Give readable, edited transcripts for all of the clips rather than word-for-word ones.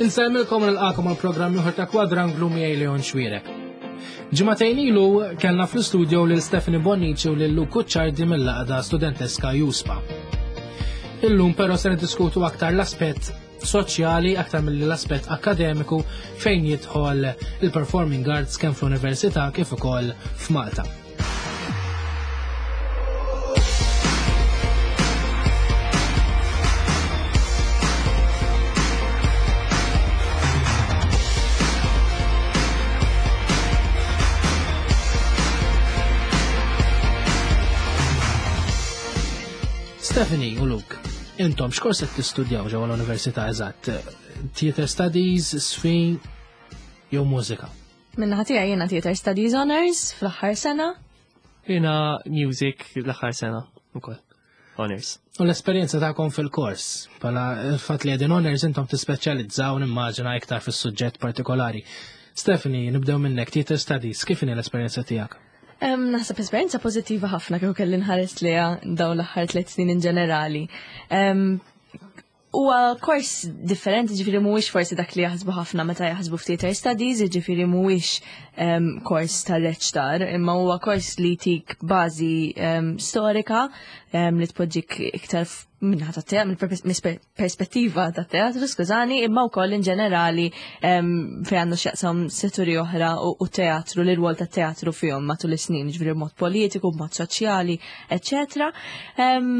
Insellmilkom u nilqakom għal programm ieħor ta' Kwadranglu miegħi Leon Xwierek. Ġimagħtejn ilu kellna fl-istudio lil Stephanie Bonnici u lil Luke Cucciardi mill-laqda studenteska Juspa. Illum però se niddiskutu aktar l-aspett soċjali aktar milli l-aspett akkademiku fejn jidħol il-performing arts kemm fl-università kif ukoll f'Malta. Stephanie u Luke, intom x'kors qed tistudjaw ġewwa l-Università eżatt? Theater Studies, Sfi jew mużika? Minna tiegħi jiena Theater Studies Honors fl-aħħar sena. Jiena Music l-aħħar sena ukoll. Honors. U l-esperjenza tagħkom fil-kors, bħala il-fatt li qegħdin honors intom tispeċjalizzaw nimmaġina iktar fis-suġġett partikolari. Stephanie, nibdew minnek, Theater Studies, kif inhi l-esperjenza tiegħek? Naħseb esperjenza pożittiva ħafna kieku kelli nħares liha dawn l-aħħar tliet snin in ġenerali. Huwa kors differenti, ġifieri mhuwiex forsi dak li jaħsbu ħafna meta jaħsbu f'theater studies, ġifieri mhuwiex um, kors ta' reċtar, imma huwa kors li tik bażi um, storika um, li tpoġġik iktar minnaħa ta' teatru, mill perspettiva ta' teatru, skużani, imma wkoll in ġenerali um, fejn għandu x'jaqsam setturi oħra u, u teatru, l rwol ta' teatru fihom matul is-snin, ġifieri b'mod politiku, b'mod soċjali, eċċetera. Um,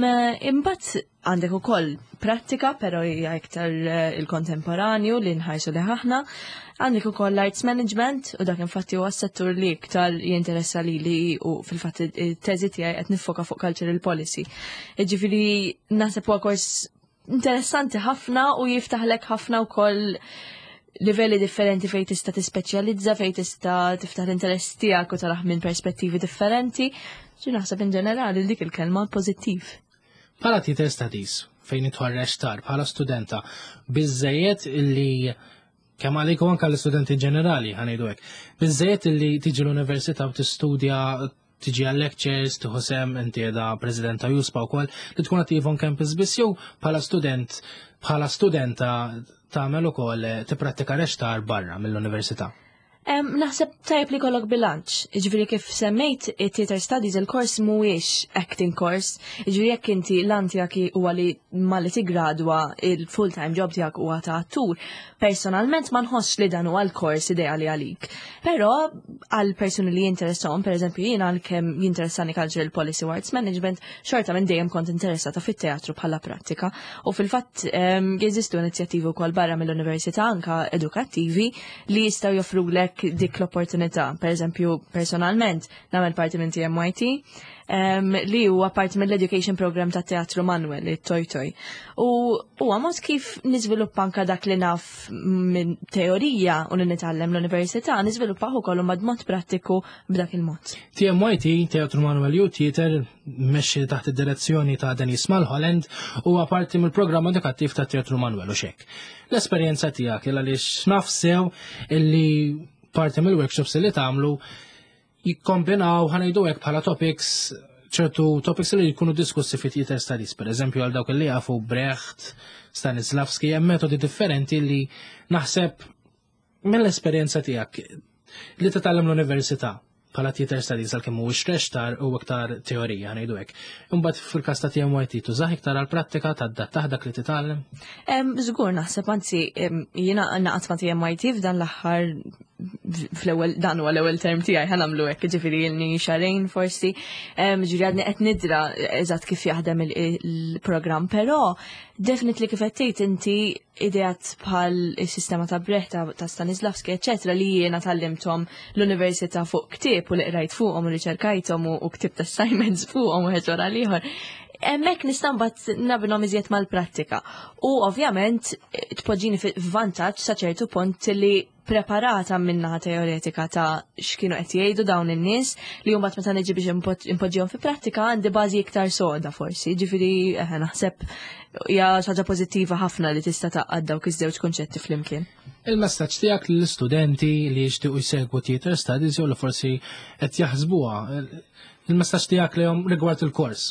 imbagħad Għandek ukoll prattika, però hija iktar eh, il-kontemporanju li nħarsu li ħaħna. Għandek ukoll l-arts management u dak infatti huwa s-settur li iktar jinteressa lili u fil-fatt it-teżi tiegħi qed nifoka fuq cultural policy. Jiġifieri naħseb huwa kors interessanti ħafna u jiftaħlek ħafna wkoll livelli differenti fejn tista' tispeċjalizza, fejn tista' tiftaħ l-interess tiegħek u taraħ minn perspettivi differenti. Ġi naħseb in ġenerali dik il-kelma pożittiv. Bħala theater studies, fejn idħol reċtar bħala studenta, biżejjed illi kemm għalik u anke l-istudenti ġenerali ħanejdu hekk. Biżejjed illi tiġi l-università u tistudja tiġi għal lectures, tieħu sem inti qiegħda president ta' Juspa wkoll, li tkun attiv on campus biss jew bħala student bħala studenta tagħmel ukoll tipprattika reċtar barra mill-università. Naħseb tajjeb li kollok bilanċ. Ġifieri kif semmejt it-theater studies il-kors mhuwiex acting course. Ġifieri jekk inti lan tiegħek huwa li malli tigradwa il-full-time job tiegħek huwa ta' attur, personalment ma nħossx li dan huwa l-kors ideali għalik. Però għal persuni li jinteressahom, pereżempju jiena għalkemm jinteressani cultural policy u arts management, xorta minn dejjem kont interessata fit-teatru bħala prattika. U fil-fatt jeżistu inizjattivi wkoll barra mill-università anka edukattivi li jistgħu joffrulek dik l-opportunità. Per eżempju, personalment, nagħmel parti minn TMYT, um, li huwa parti mill-Education Program ta' Teatru Manuel, it-Toj Toj. U huwa mod kif niżviluppa anka dak li naf minn teorija u li nitgħallem l-università, niżviluppah ukoll ma' mod prattiku b'dak il-mod. TMYT, Teatru Manuel Youth Theater, mexxi taħt id-direzzjoni ta' Denis Malholland, huwa parti mill-programm edukattiv ta' Teatru Manuel u xek. L-esperjenza tiegħek il għaliex naf sew illi parti mill-workshops li tagħmlu jikkombinaw ħanejdu hekk bħala topics ċertu topics li jkunu diskussi fit theater studies, per eżempju għal dawk li jafu Brecht, Stanislavski, hemm metodi differenti li naħseb mill-esperjenza tiegħek li titgħallem l-università bħala theater studies għalkemm mhuwiex rextar u iktar teorija ngħidu hekk. Imbagħad fil-każ ta' TMYT tużah iktar għall-prattika tadattah dak li titgħallem? Żgur naħseb anzi jiena naqgħod ma' TMYT f'dan l-aħħar fl-ewwel dan huwa l-ewwel term tiegħi ħa nagħmlu hekk, jiġifieri ilni xahrejn forsi. Ġifieri għadni qed nidra eżatt kif jaħdem il-programm, però definitely kif qed tgħid inti ideat bħal is-sistema ta' Brecht ta' Stanislavski, eċetera, li jiena tallimthom l-università fuq ktieb u li qrajt fuqhom u riċerkajthom u ktibt assignments fuqhom u wara l-ieħor. Hemmhekk nista' mbagħad nabinhom iżjed mal-prattika. U ovvjament tpoġġini f'vantaġġ sa ċertu punt li preparata minnaħa teoretika ta' x'kienu qed jgħidu dawn in-nies li mbagħad meta niġi biex impoġġihom fi prattika għandi bażi iktar soda forsi. Ġifieri eh, naħseb hija xi ħaġa pożittiva ħafna li tista' taqgħad dawk iż-żewġ kunċetti flimkien. Il-messaġġ tiegħek lill-istudenti li jixtiequ jsegwu theater studies jew li forsi qed jaħsbuha, il-messaġġ tiegħek lehom rigward il-kors.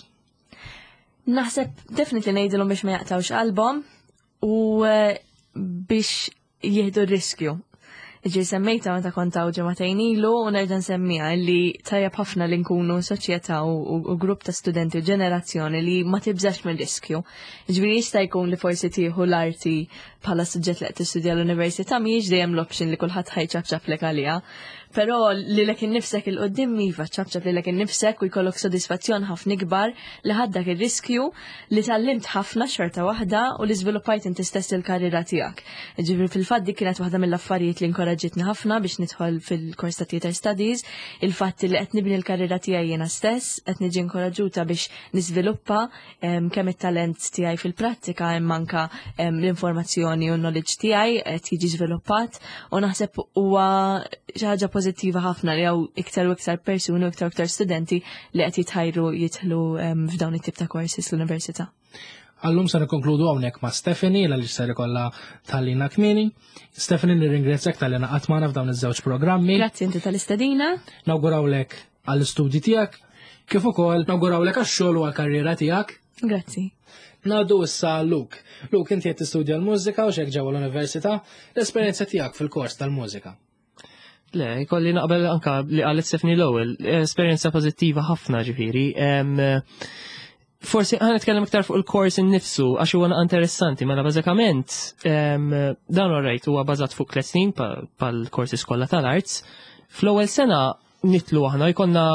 Naħseb definitely ngħidilhom biex ma jaqtawx qalbhom u eh, biex Jieħdu r-riskju. Ġi semmejta meta kont hawn ġimagħtejn ilu u nerġa' nsemmiha li tajjeb ħafna li nkunu soċjetà u grupp ta' studenti u ġenerazzjoni li ma tibżax mill-riskju. Ġifieri jista' jkun li forsi tieħu l-arti bħala suġġett li qed tistudja l-università mhijiex dejjem l-option li kulħadd ħajċapċaplek għaliha. Però lilek innifsek il-qoddim iva ċapċap lilek innifsek u jkollok sodisfazzjon ħafna ikbar li ħadd dak ir-riskju li tgħallimt ħafna xorta waħda u li żviluppajt inti stess il-karriera tiegħek. Ġifieri fil-fatt dik kienet waħda mill-affarijiet li inkoraġġitni ħafna biex nidħol fil-kors ta' Theater Studies, il-fatt li qed nibni l-karriera tiegħi jiena stess, qed niġi inkoraġġuta biex niżviluppa kemm it-talent tiegħi fil-prattika imma anka l-informazzjoni u l-knowledge tiegħi qed jiġi żviluppat u naħseb huwa xi ħaġa pożittiva ħafna li hawn iktar u iktar persuni u iktar u iktar studenti li qed jitħajru jidħlu f'dawn it-tip ta' courses l-università. Għallum se nikkonkludu hawnhekk ma' Stephanie għaliex ser ikollha tħallina kmieni. Stephanie nirringrazzjak talli naqgħat magħna f'dawn iż-żewġ programmi. Grazzi inti tal-istedina. Nawgurawlek għall-istudji tiegħek, kif ukoll nawgurawlek għax-xogħol u għall-karriera tiegħek. Grazzi. Ngħaddu issa Luke. Luke, inti qed tistudja l-mużika u xek ġewwa l-università, l-esperjenza tiegħek fil-kors tal-mużika. Le, kolli naqbel anka li qalet Stephanie l-ewwel, esperjenza pożittiva ħafna ġifieri. Forsi ħa nitkellem iktar fuq il-kors innifsu għax huwa interessanti, mela bażikament dan rajt huwa bażat fuq tliet snin pal-korsi skola tal-arts. Fl-ewwel sena nitlu aħna jkollna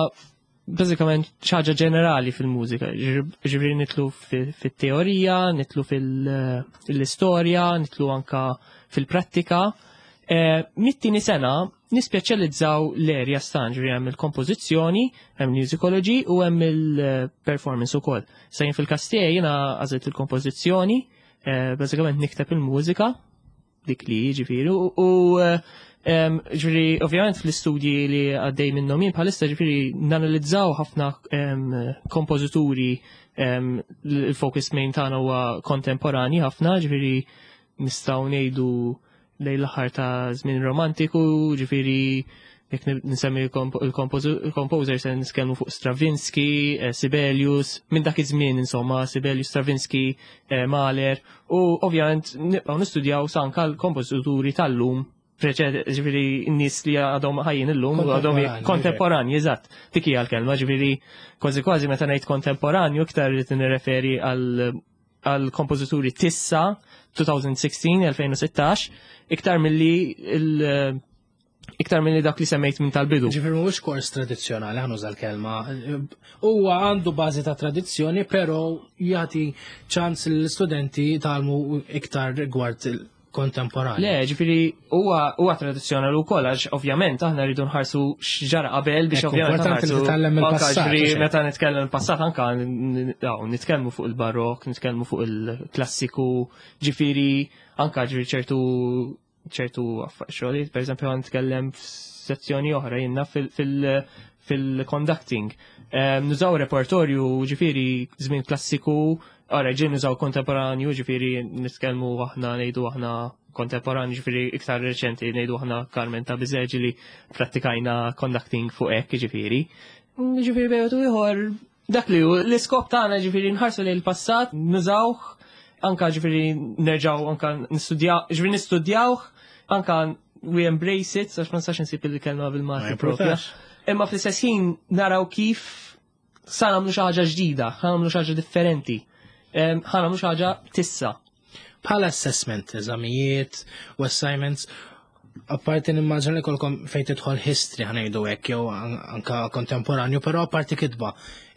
bażikament ħaġa ġenerali fil-mużika, ġifieri nitlu fit-teorija, nitlu fil-istorja, nitlu anka fil-prattika. Mit-tieni sena nispeċjalizzaw l-area stan, ġifieri hemm il-kompożizzjoni, hemm musicology u hemm il-performance ukoll. Sa jien fil-każ tiegħi jiena għażilt il-kompożizzjoni, bażikament nikteb il-mużika, dik li ġifieri u ġifieri ovvjament fl-istudji li għaddej minnhom jien bħalissa ġifieri nanalizzaw ħafna kompożituri, il-focus main tagħna huwa kontemporani ħafna, ġifieri nistgħu ngħidu lejn l-aħħar ta' żmien romantiku, ġifieri jekk nsemmi il-composer se nitkellmu fuq Stravinsky, Sibelius, minn dak iż-żmien insomma, Sibelius, Stravinsky, Mahler, u ovvjament nibqgħu nistudjaw sanka l-kompożituri tal-lum, ġifieri n-nies li għadhom ħajjin illum, għadhom kontemporanji, eżatt, dik hija l-kelma, ġifieri kważi kważi meta ngħid kontemporanju iktar irid nirreferi għal kompożituri tissa 2016, 2016, iktar milli il iktar minn dak li semmejt minn tal-bidu. Ġifieri mhuwiex kors tradizzjonali, ħa nuża l-kelma. Huwa għandu bażi ta' tradizzjoni, però jagħti ċans l-istudenti jitgħallmu iktar rigward kontemporanju. Le, ġifieri huwa tradizzjonali wkoll għax ovvjament aħna rridu nħarsu x'ġara qabel biex ovvjament importanti li titgħallem il-passat. Ġifieri meta nitkellem il-passat anka nitkellmu fuq il-barok, nitkellmu fuq il-klassiku, ġifieri anka ġifieri ċertu ċertu xogħlijiet, per eżempju għan nitkellem f'sezzjoni oħra jinnna fil-conducting. Nużaw repertorju ġifieri żmien klassiku, ora ġin nużaw kontemporanju, ġifieri nitkellmu aħna ngħidu aħna kontemporanju, ġifieri iktar reċenti ngħidu aħna Carmen ta' Bizet li prattikajna conducting fuq hekk ġifieri. Ġifieri bejgħu ieħor dak li hu l-iskop tagħna ġifieri nħarsu lejn il-passat, nużawh, anka ġifieri nerġgħu anka nistudjaw, ġifieri nistudjawh, anka we embrace it, għax ma nistax insib il-kelma bil-Malti propja. Imma fl-istess ħin naraw kif sa nagħmlu xi ħaġa ġdida, ħa nagħmlu xi ħaġa differenti, ħa nagħmlu xi ħaġa tissa. Bħala assessment, eżamijiet u assignments, apparti nimmaġina li kolkom fejn tidħol history ħa ngħidu hekk jew anka kontemporanju, però apparti kitba,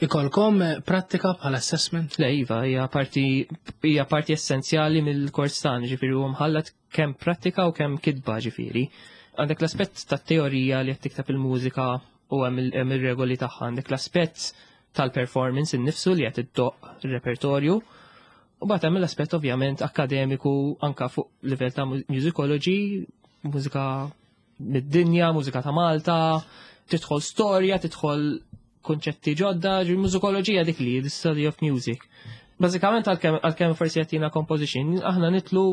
ikolkom prattika bħala assessment? Le, iva, hija parti essenzjali mill-kors tagħna, ġifieri huwa mħallat kemm prattika u kemm kitba ġifieri. Għandek l-aspett tat-teorija li qed tikteb il-mużika u hemm ir-regoli tagħha, għandek l-aspett tal-performance innifsu li qed iddoqq ir-repertorju. U bagħad hemm l-aspett ovvjament akademiku anka fuq livell ta' musicology, mużika mid-dinja, mużika ta' Malta, tidħol storja, tidħol konċetti ġodda, ġi mużikoloġija dik li, the study of music. Bażikament għalkemm forsi jagħtina composition, aħna nitlu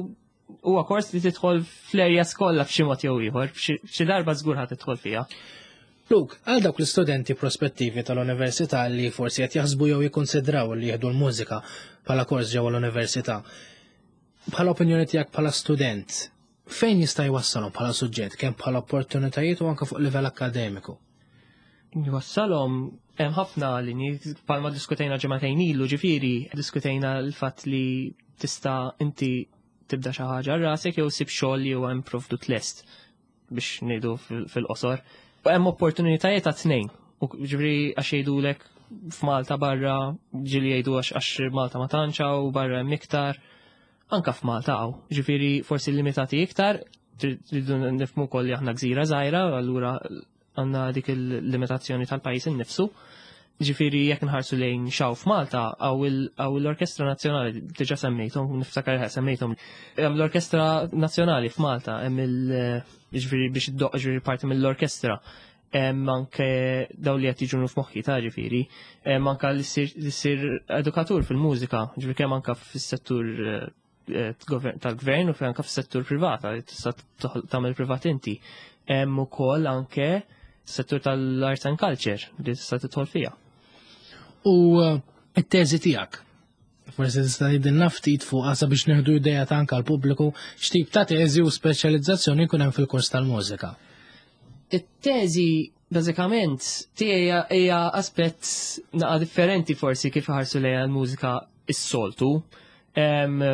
huwa kors li tidħol fl-erja skolla f'xi mod jew ieħor, f'xi darba żgur ħa tidħol fiha. Luke, għal dawk l-istudenti prospettivi tal-università li forsi qed jaħsbu jew jikkonsidraw li jieħdu l-mużika bħala kors ġewwa l-università, bħala opinjoni tiegħek bħala student, Fejn jista' jwassalhom bħala suġġett kemm bħala opportunitajiet u anke fuq livell akkademiku? Jwassalhom hemm ħafna linji bħalma diskutejna ġimagħtejn ilu ġifieri diskutejna l-fatt li tista' inti tibda xi ħaġa rasek jew sib xogħol li huwa improvdut lest biex ngħidu fil-qosor. U hemm opportunitajiet ta' tnejn. U ġifieri għax jgħidulek f'Malta barra ġieli jgħidu għax Malta ma tantx u barra hemm iktar. Anka f'Malta hawn, ġifieri forsi limitati iktar, tridu nifhmu wkoll li aħna gżira żgħira, allura għandna dik il-limitazzjoni tal-pajjiż innifsu. Ġifieri jekk nħarsu lejn xaw f'Malta għaw l-Orkestra Nazzjonali diġà semmejthom, niftakar semmejthom. Hemm l-Orkestra Nazzjonali f'Malta, hemm il ġifieri biex iddoqq ġifieri parti mill-orkestra. Hemm anke daw li qed jiġu f'moħħi ta' ġifieri, hemm anke li ssir edukatur fil-mużika, ġifieri kemm anke fis-settur eh, tal-gvern u anke fis-settur privat, li tista' tagħmel privat inti. Hemm ukoll anke settur tal-arts and culture li tista' tidħol fiha. U eh, it-teżi tiegħek, Forsi tista' tgħidilna ftit fuqha sabiex nieħdu idea ta' anke l-pubbliku x'tip ta' teżi u speċjalizzazzjoni jkun hemm fil-kors tal-mużika. It-teżi bażikament tiegħi hija aspett naqa' differenti forsi kif ħarsu lejha l-mużika is-soltu.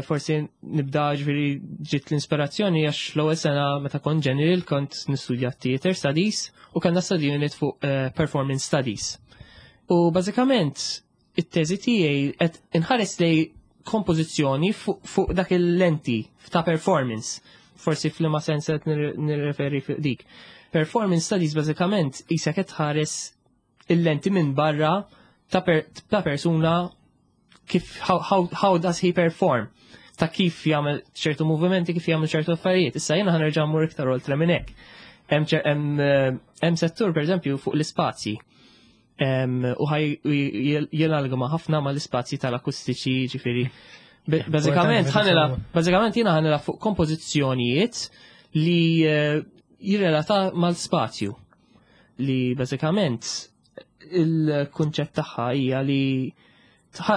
Forsi nibda ġifieri ġiet l-inspirazzjoni għax l-ewwel sena meta kont general kont nistudja theater studies u kellna study unit fuq eh, performance studies. U bażikament it-teżi tiegħi qed inħares lej kompożizzjoni fuq dak il-lenti ta' performance. Forsi f'liema sens qed nirreferi fuq dik. Performance studies bażikament isek qed tħares il-lenti minn barra ta', per, ta persuna kif how, how, how does he perform ta' kif jagħmel ċertu movimenti, kif jagħmel ċertu affarijiet. Issa jiena ħanerġa' mmur iktar oltre minn hekk. Hemm eh, settur pereżempju fuq l-ispazji u ħaj jelalgma ħafna ma l-ispazji tal-akustiċi ġifiri. Bażikament ħanela, bażikament jiena ħanela fuq kompożizzjonijiet li eh, jirrelata mal-spazju li bażikament il-kunċett tagħha hija li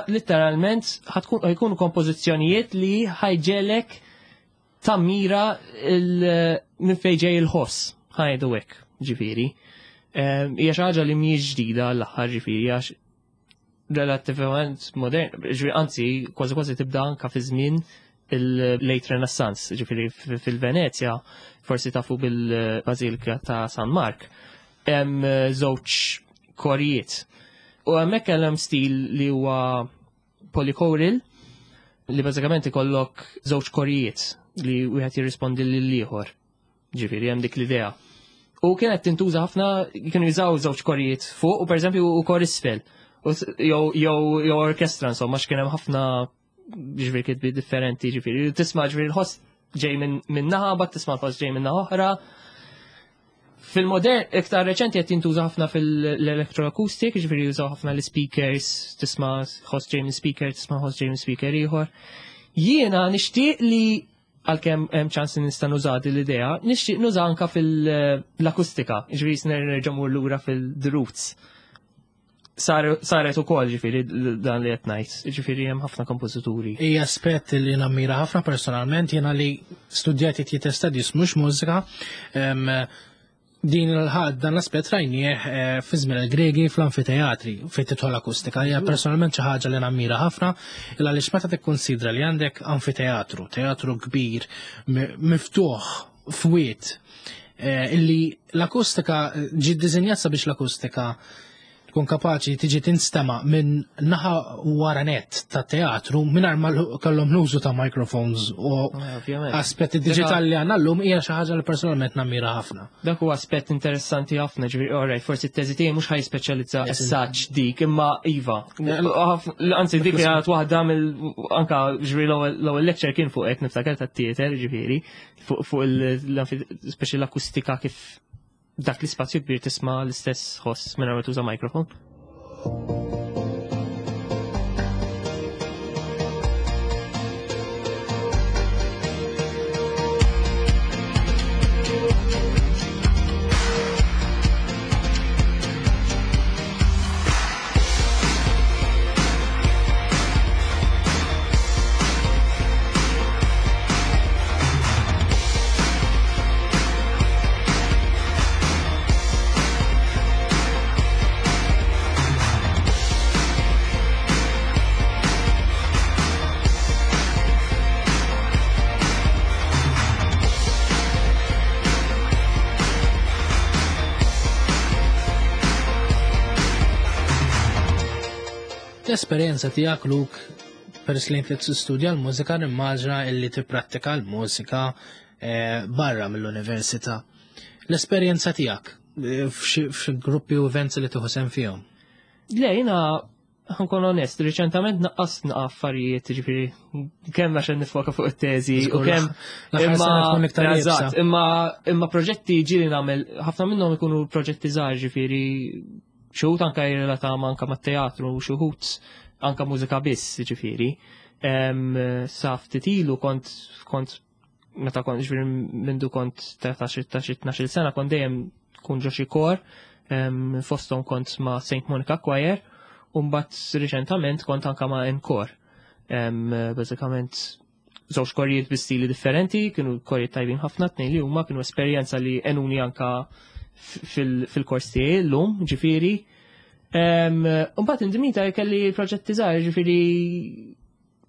litteralment ħajkunu kompożizzjonijiet li ħajġelek tammira minn fejn ġej il-ħoss, ħajdu hekk, ġifieri. Ehm, hija xi ħaġa li mhijiex ġdida l-aħħar ġifieri għax relattivament modern, ġifieri anzi kważi kważi tibda anka fi żmien il-late Renaissance, ġifieri fil-Venezja, forsi tafu bil-Bażilika ta' San Mark, hemm żewġ korijiet. U hemmhekk hemm stil li huwa polychoral li bażikament ikollok żewġ korijiet li wieħed jirrispondi lil ieħor. Ġifieri hemm dik l-idea. U kienet tintuża ħafna kienu jużaw żewġ korijiet fuq u pereżempju u kor isfel. Jew orkestra insomma x'kien hemm ħafna ġifieri kitbi differenti ġifieri. Tisma' ġifieri l-ħoss ġej minn naħa, bat tisma' l-ħoss ġej minn naħa oħra. Fil-modern, iktar reċenti qed jintuża ħafna fil-electroacoustic, ġifieri jużaw ħafna l-speakers, tisma' ħoss ġej minn speaker, tisma' ħoss ġej minn speaker ieħor. Jiena nixtieq li għalkemm hemm ċans li nista' nuża din l-idea, nixtieq nuża anka fil-akustika, ġifieri nerġa' mur lura fil-the roots. Saret ukoll ġifieri dan li qed ngħid, ġifieri hemm ħafna kompożituri. Hija aspett li nammira ħafna personalment jiena li studjati theater studies mhux mużika din il-ħadd dan l-aspett rajnieh eh, fi żmien il-Gregi fl-anfiteatri fejn tidħol akustika. Hija personalment xi ħaġa li nammira ħafna il għaliex meta tikkunsidra li għandek anfiteatru, teatru kbir miftuħ fwiet eh, illi l-akustika ġi ddisinjat sabiex l-akustika tkun kapaċi tiġi tinstema minn naħa wara net ta' teatru mingħajr ma kellhom l-użu ta' microphones u eh, aspetti diġitali li għandna llum hija xi ħaġa li personalment nammira ħafna. Dak huwa aspett interessanti ħafna, ġifieri alright, forsi t-teżi tiegħi mhux ħaj speċjalizza as dik, imma iva. Anzi dik kienet waħda mill anka ġifieri l-ewwel lecture kien fuq hekk niftakar tat-theater ġifieri fuq il-speċi l-akustika kif dak l-ispazju kbir tisma' l-istess ħoss minn ma tuża mikrofon. L-esperjenza tiegħek Luke peress li inti tistudja l-mużika nimmaġna illi tipprattika l-mużika eh, barra mill-università. L-esperjenza tiegħek eh, f'xi gruppi u events li tieħu sehem fihom? Le, jiena ħa nkun onest, riċentament naqqast naqa affarijiet, ġifieri, kemm għax nifoka fuq it-teżi u kemm imma eżatt, imma imma proġetti ġieli nagħmel ħafna minnhom ikunu proġetti żgħar, ġifieri xi wħud anke jirrelata anke mat-teatru u xi wħud anke mużika biss, ġifieri. Sa ftit ilu kont kont meta kont ġifieri mindu kont 13 12 sena kont dejjem kun ġo xi kor, fosthom kont ma' St. Monica Choir, u mbagħad riċentament kont anka ma' Encore. Bażikament żewġ korijiet bi stili differenti, kienu korijiet tajbin ħafna tnejn li huma kienu esperjenza li għenuni anka fil-kors tiegħi llum, ġifieri. Mbagħad indimita kelli proġetti żgħar, ġifieri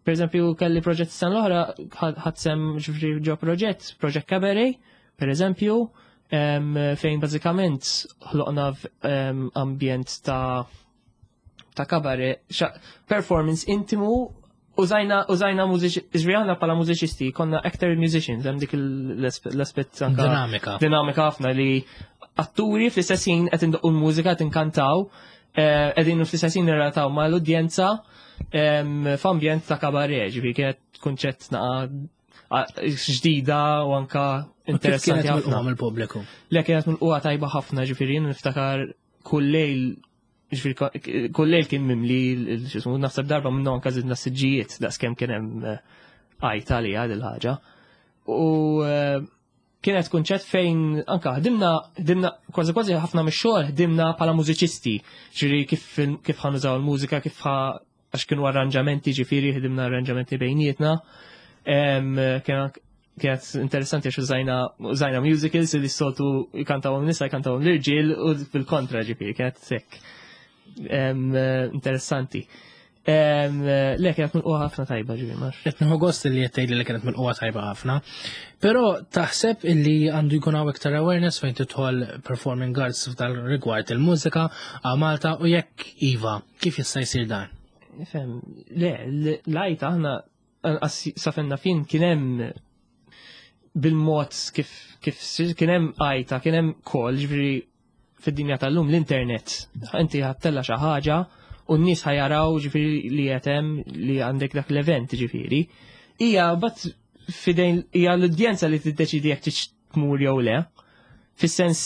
Per eżempju, kelli proġett sena l-oħra, ħadt sehem ġifieri ġo proġett, proġett cabaret, per eżempju, fejn bażikament ħloqna ambjent ta' cabaret, performance intimu, użajna użajna mużiċi, ġifieri aħna bħala mużiċisti, konna actor musicians, hemm dik l-aspett anka Dinamika. Dinamika ħafna li atturi fl-istess ħin qed indoqqu l-mużika qed inkantaw, qegħdin fl-istess ħin nirrelataw mal-udjenza f'ambjent ta' kabaret, ġifieri kienet kunċett naqa ġdida u anka interessanti Kienet ħafna. milqugħa mill-pubbliku. Le kienet milqugħa tajba ħafna, ġifieri niftakar kull lejl, ġifieri kull lejl kien mimli x'ismu, naħseb darba minnu anka żidna siġġijiet daqskemm kien hemm għajta li għad il-ħaġa. U kienet kunċett fejn anka ħdimna kważi kważi ħafna mix-xogħol ħdimna bħala mużiċisti, ġifieri kif ħa nużaw il-mużika, kif ħa għax kienu arranġamenti, ġifieri ħdimna arranġamenti bejnietna. Kienet interessanti għax użajna musicals li s-soltu jkantawhom nisa jkantawhom l-irġiel u fil-kontra, ġifieri kienet sekk. Interessanti. Le, kienet milqugħa ħafna tajba, ġifieri marx. Qed nieħu gost li qed tgħidli li kienet milqugħa tajba ħafna. Però taħseb illi għandu jkun hawn iktar awareness fejn tidħol performing arts f'dal rigward il-mużika għal Malta u jekk iva, kif jista' jsir dan? Fem, le, l-għajta aħna anqas safenna fin kien hemm bil-mod kif kien hemm għajta, kien hemm kol, ġifieri fid-dinja tal-lum l-internet. Inti ħa ttella' xi ħaġa u n-nies ħa jaraw ġifieri li qed hemm li għandek dak l-event ġifieri. Hija bat fidejn hija l-udjenza li tiddeċidi jekk tix tmur jew le. Fis-sens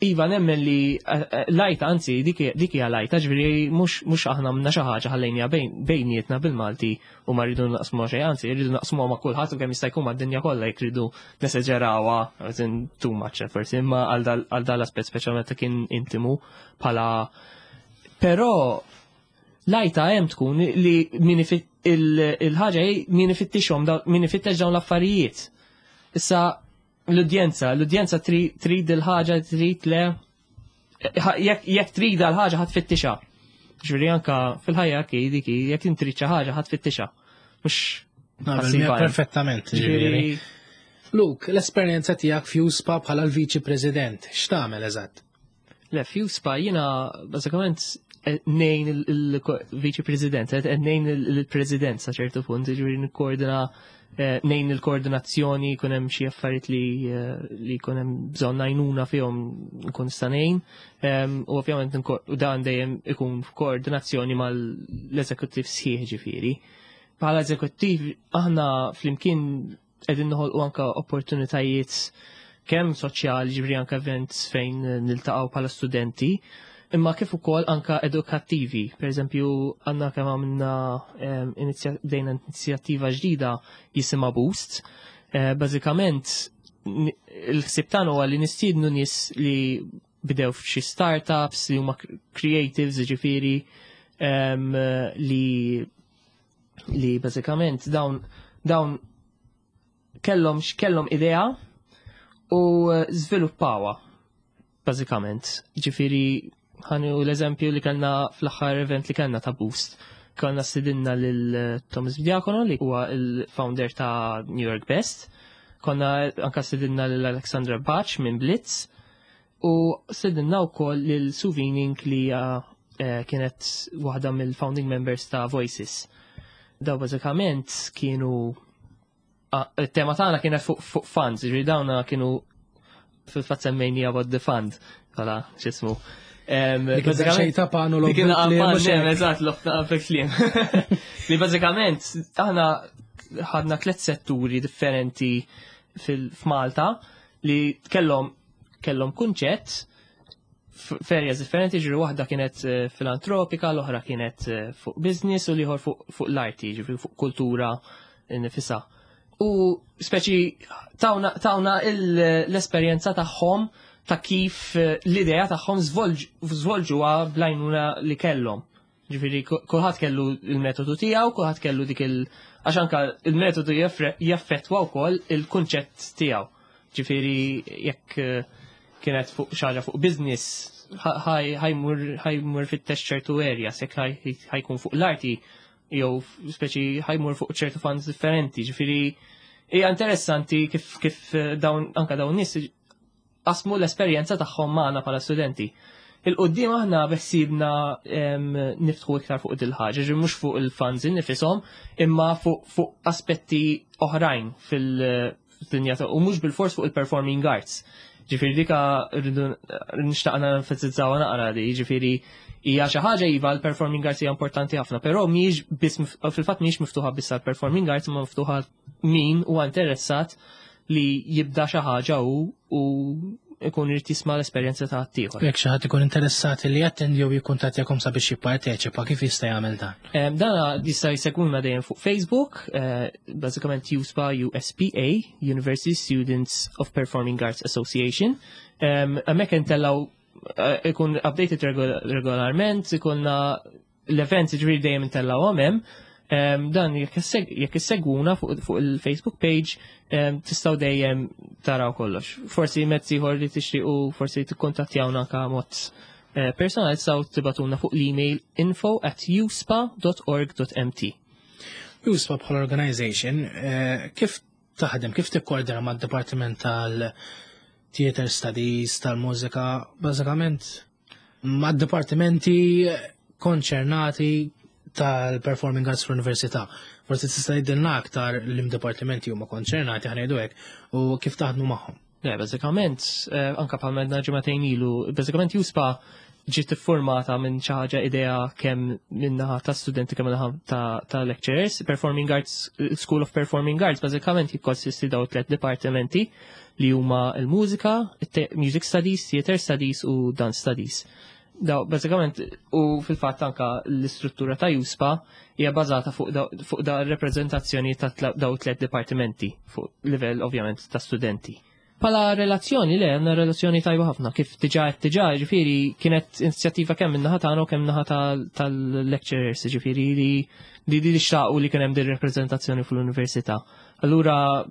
iva nemmen li l-għajta, anzi dik hija l-għajta, ġifieri mhux aħna minna xi ħaġa ħallejnija bejnietna bil-Malti u ma rridu naqsmu xejn, anzi rridu naqsmu ma' kulħadd u kemm jista' jkun mad-dinja kollha jekk rridu neseġerawha, as in too much forsi, imma għal dal aspett speċjalment kien intimu bħala. Però l-għajta hemm tkun li min il-ħaġa hi min ifittixhom min ifittex dawn l-affarijiet. Issa l-udjenza trid il-ħaġa, trid le, jekk trid l-ħaġa ħa tfittixha. Ġifieri anka fil-ħajja ki dik hi, jekk inti trid xi ħaġa ħa tfittixha. Mhux Naqbel ħassib miegħek għajn. perfettament, Ġifieri ġifieri. Luke, l-esperjenza tiegħek f'EUSPA bħala l-Viċi President, x'tagħmel eżatt? Le, f'EUSPA jiena bażikament ngħin il-Viċi President, ngħin il-President sa ċertu punt, ġifieri nikkoordina, ngħin il-koordinazzjoni, jkun hemm xi affarijiet li jkun hemm bżonn għajnuna fihom nkun nista' ngħin. U ovvjament u dan dejjem ikun f'koordinazzjoni mal-eżekuttiv sħiħ ġifieri. Bħala eżekuttiv aħna flimkien qegħdin noħolqu anka opportunitajiet kemm soċjali, ġifieri anka events fejn niltaqgħu bħala studenti, imma kif ukoll anka edukattivi. Per eżempju, għandna kemm għamilna bdejna inizjattiva ġdida jisimha Boost. Bażikament il-ħsieb tagħna huwa li nistiednu nies li bdew f'xi startups li huma creatives, ġifieri, li bażikament dawn kellhom idea u żviluppawa bażikament. Ġifieri ħanu l-eżempju li kellna fl-aħħar event li kellna ta' Boost. Kellna stidinna lil Thomas Diacono li huwa il-founder ta' New York Best. Konna anka stidinna lil Alexandra Bach minn Blitz u stidinna wkoll lil Suvining li hija kienet waħda mill-founding members ta' Voices. Daw bażikament kienu il-tema tagħna kienet fuq funds, ġifieri dawna kienu fil-fatt semmejni about the fund, bħala x'ismu. Dik xejn ta' panu l Dik eżatt, l-ofta fil-kliem. Li bażikament aħna ħadna tliet setturi differenti f'Malta li kellhom kunċett f'areas differenti, ġifieri waħda kienet filantropika, l-oħra kienet fuq business u l-ieħor fuq l-arti, ġifieri fuq kultura nifisha. U speċi tawna l-esperjenza tagħhom ta' kif l-idea tagħhom żvolġuha bl-għajnuna li kellhom. Ġifieri kulħadd kellu il-metodu tiegħu, kulħadd kellu dik il- għax anka il-metodu jaffettwa wkoll il-kunċett tiegħu. Ġifieri jekk kienet fuq xi ħaġa fuq business, ħa jmur fit-test ċertu areas, jekk ħa jkun fuq l-arti, jew speċi ħa jmur fuq ċertu funds differenti. Ġifieri hija interessanti kif dawn anka dawn nies qasmu l-esperjenza tagħhom magħna bħala studenti. Il-qoddim aħna beħsibna niftħu iktar fuq dil-ħaġa, ġi mhux fuq il-funds nifishom, imma fuq aspetti oħrajn fil-dinja u mhux bil-fors fuq il-performing arts. Ġifieri dika rridu nixtaqna nenfasizzaw naqra di, ġifieri hija xi ħaġa iva l-performing arts hija importanti ħafna, però mhijiex biss fil-fatt mhijiex miftuħa biss għall-performing arts, imma miftuħa min huwa interessat li jibda xi ħaġa u ikun irid jisma' l-esperjenza ta' ħaddieħor. Jekk xi ħadd ikun interessat li jattendi jew jikkuntattjakom sabiex jipparteċipa, kif jista' jagħmel dan? Dana jista' jsegwuna dejjem fuq Facebook, bażikament USPA, USPA, University Students of Performing Arts Association. Hemmhekk intellgħu ikun updated regolarment, ikunna l-events ġifieri dejjem intellgħu hemm. Dan jekk issegwuna fuq il-Facebook page, tistgħu dejjem taraw kollox. Forsi mezz ieħor li tixtiequ forsi tikkuntattjawna anke mod personali tistgħu tibagħtulna fuq l-email info@uspa.org.mt. USPA bħala organization, kif taħdem, kif tikkoordina mad-Dipartiment tal-Theater Studies, tal-Mużika, bażikament mad-dipartimenti konċernati tal-Performing Arts fl-Università? Forsi tista' tgħidilna aktar l-dipartimenti huma konċernati, ħa ngħidu hekk, u kif taħdmu magħhom. Le, bażikament, anka bħal medna ġimagħtejn ilu, bażikament USPA ġiet iffurmata minn xi ħaġa idea kemm minnaħa ta' studenti kemm minnaħa ta' lecturers. Performing Arts, School of Performing Arts, bażikament jikkonsisti daw tliet dipartimenti li huma l-mużika, music studies, theater studies u dance studies. Daw, bażikament, u fil-fatt anka l-istruttura ta' USPA hija bażata fuq da r-reprezentazzjoni ta' daw tliet dipartimenti fuq livell ovvjament ta' studenti. Pala relazzjoni, le, għandna relazzjoni tajba ħafna, kif diġà qed diġà, ġifieri kienet inizjattiva kemm min-naħa tagħna u kemm naħa tal-lecturers, ġifieri li xtaqu li kien hemm din rappreżentazzjoni fl-università. Allura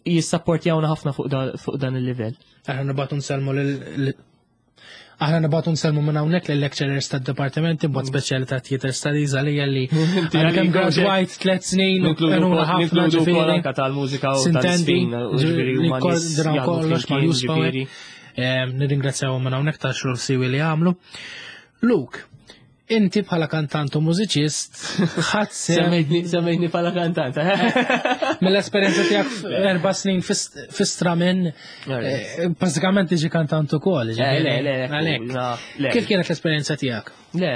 jissapportjawna ħafna fuq dan il-livell. Aħna nibgħatu nsellmu minn hawnhekk lill-lecturers tad-dipartimenti b'mod speċjali ta' Theater Studies għalija li għara kemm graduajt 3 snin u għenuna ħafna ġifieri. Anka tal-mużika u Sintendi, tal-sfin, u ġifieri li huma nies koordinaw jaħdmu kollox ma' flimkien, USPA. ġifieri. Nirringrazzjaw minn hawnhekk ta' xogħol siwi li għamlu. Luke, inti bħala kantant u mużiċist ħadd sehem Semmejtni bħala kantant, eh? Mill-esperjenza tiegħek 4 snin fi Stramin, bażikament tiġi kantant ukoll. Le, le, Għalhekk. Le. Kif kienet l-esperjenza tiegħek? Le,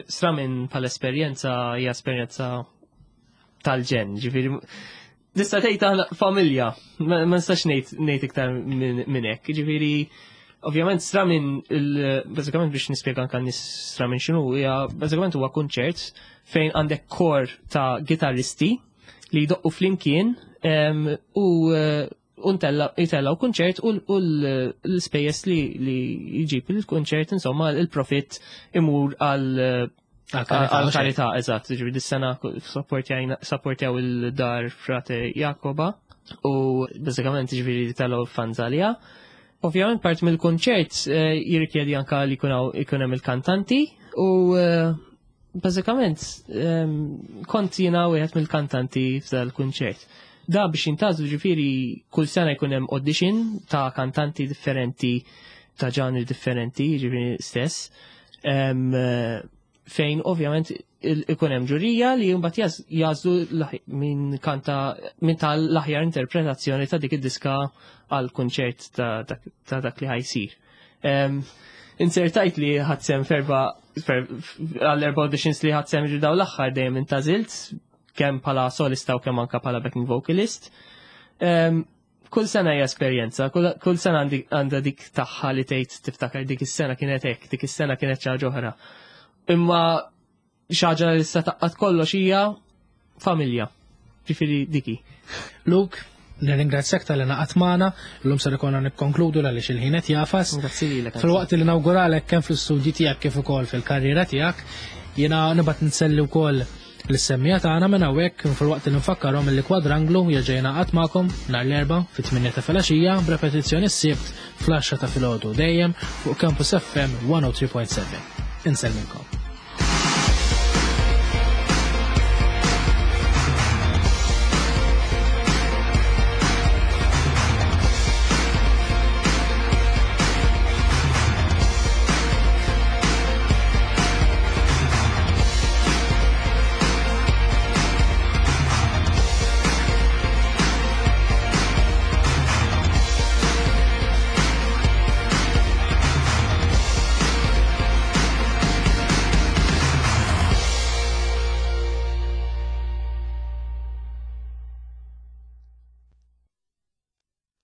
Stramin bħala esperjenza hija esperjenza tal-ġenn, ġifieri tista' tgħid aħna familja, ma nistax ngħid iktar minn hekk, ġifieri ovvjament Stramin bażikament biex nispjega anke nies Stramin x'inhu hija bażikament huwa kunċert fejn għandek kor ta' gitarristi li jdoqqu flimkien u jtellaw kunċert u l-spejjeż li jġib il-kunċert, insomma, il-profit imur għal karità, eżatt, ġifieri dis-sena supportjaw il-dar Frate Jakoba u bażikament ġifieri tellgħu funds għaliha. Ovvjament part mill-kunċert jirrikjedi anka li jkun hemm il-kantanti u bażikament kont jiena wieħed mill-kantanti f'dal-kunċert. Da biex jintgħażlu ġifieri kull sena jkun hemm audition ta' kantanti differenti ta' ġanri differenti, ġifieri stess. Fejn ovvjament ikun hemm ġurija li mbagħad jażlu minn kanta minn tal l-aħjar interpretazzjoni ta' dik id-diska għal kunċert ta' dak li ħajsir. Insertajt li ħadsem ferba għall-erba auditions li ħadsem ġu daw l-aħħar dejjem intażilt kemm bħala solista u kemm anka bħala backing vocalist. Kull sena hija esperjenza, kull sena għandha dik tagħha li tgħid tiftakar dik is-sena kienet hekk, dik is-sena kienet xi ħaġa oħra. Imma xi ħaġa li issa taqqat kollox hija familja. Ġifieri diki. Luke, nirringrazzjak tal-li naqat magħna, illum ser ikonna nikkonkludu għaliex il-ħin qed jafas. Grazzi lilek. Fil-waqt li nawguralek kemm fl-istudji tiegħek kif ukoll fil-karriera tiegħek, jiena nibgħat nselli wkoll l-semmija tagħna minn hawnhekk fil-waqt li nfakkarhom li Kwadranglu jerġa' jingħaqad magħkom nhar l-Erbgħa fit-8 ta' filgħaxija b'repetizzjoni s-Sibt fl-10 ta' filgħodu dejjem fuq Campus FM 103.7. Insellmilkom.